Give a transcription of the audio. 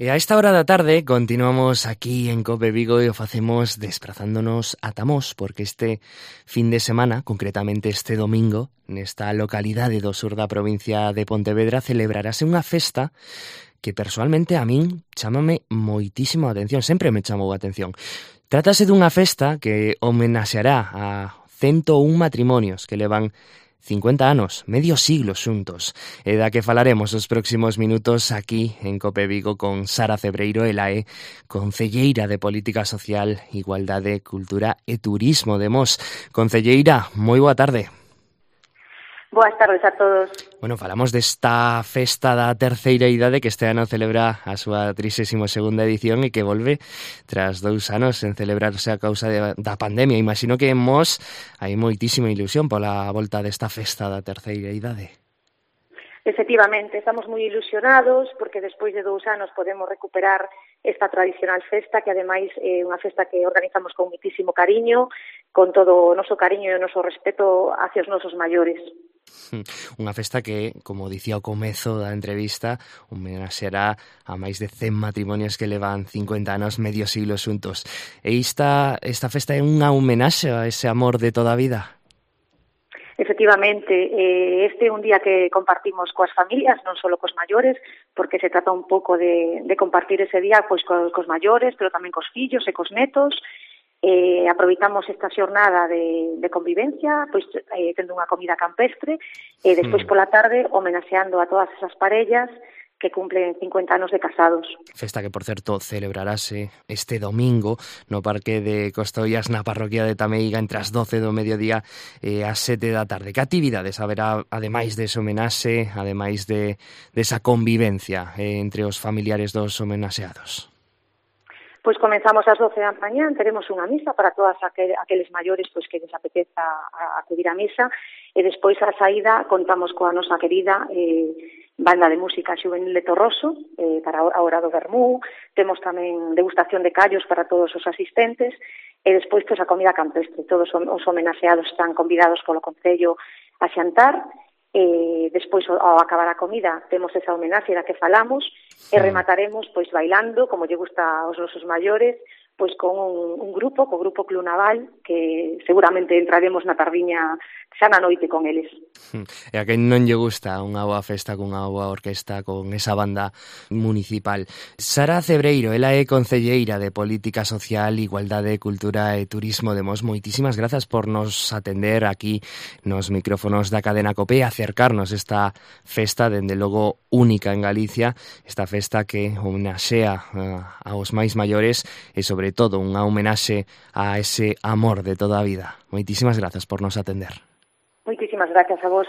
E a esta hora da tarde continuamos aquí en Cope Vigo e o facemos desplazándonos a Tamós, porque este fin de semana, concretamente este domingo, nesta localidade do sur da provincia de Pontevedra, celebrarase unha festa que persoalmente a min chámame moitísimo a atención, sempre me chamou a atención. Trátase dunha festa que homenaxeará a 101 matrimonios que levan 50 anos, medio siglo xuntos, e da que falaremos os próximos minutos aquí en Cope Vigo con Sara Cebreiro, ela é concelleira de Política Social, Igualdade, Cultura e Turismo de Mos. Concelleira, moi boa tarde. Boas tardes a todos. Bueno, falamos desta festa da terceira idade que este ano celebra a súa 32ª edición e que volve tras 2 anos en celebrarse a causa da pandemia. Imagino que en Mos hai moitísima ilusión pola volta desta festa da terceira idade. Efectivamente, estamos moi ilusionados porque despois de 2 anos podemos recuperar esta tradicional festa que ademais é unha festa que organizamos con moitísimo cariño, con todo o noso cariño e o noso respeto hacia os nosos maiores. Unha festa que, como dicía ao comezo da entrevista, homenaxeará a máis de 100 matrimonios que levan 50 anos, medio siglo xuntos. E esta festa é unha homenaxe a ese amor de toda a vida? Efectivamente, este é un día que compartimos coas familias, non só cos maiores, porque se trata un pouco de compartir ese día pois cos maiores, pero tamén cos fillos e cos netos. Aproveitamos esta xornada de convivencia, pois tendo unha comida campestre, e despois pola tarde homenaxeando a todas esas parellas que cumplen 50 anos de casados. Festa que, por certo, celebrarase este domingo no Parque de Costollas na parroquia de Tameiga entre as 12 do mediodía e as 7 da tarde. Que actividades haberá, ademais dese homenaxe, ademais desa convivencia entre os familiares dos homenaxeados? Pois comenzamos ás 12 da mañá, teremos unha misa para todas aqueles maiores pois que les apeteza acudir á misa, e despois a saída contamos coa nosa querida banda de música xuvenil de Torroso para a hora do vermú, temos tamén degustación de callos para todos os asistentes, e despois pois a comida campestre. Todos os homenaxeados están convidados polo Concello a xantar, e despois ao acabar a comida temos esa homenaxe da que falamos e remataremos pois bailando, como lle gusta aos nosos maiores, pois con un grupo, co grupo Club Naval, que seguramente entraremos na tardiña xa na noite con eles. E a quen non lle gusta unha boa festa cunha boa orquesta, con esa banda municipal. Sara Cebreiro, ela é concelleira de Política Social, Igualdade, Cultura e Turismo de Mos. Moitísimas grazas por nos atender aquí nos micrófonos da cadena COPE e acercarnos esta festa, dende logo única en Galicia, esta festa que homenaxea aos máis maiores e, sobre todo, unha homenaxe a ese amor de toda a vida. Moitísimas grazas por nos atender. Moitísimas gracias a vos.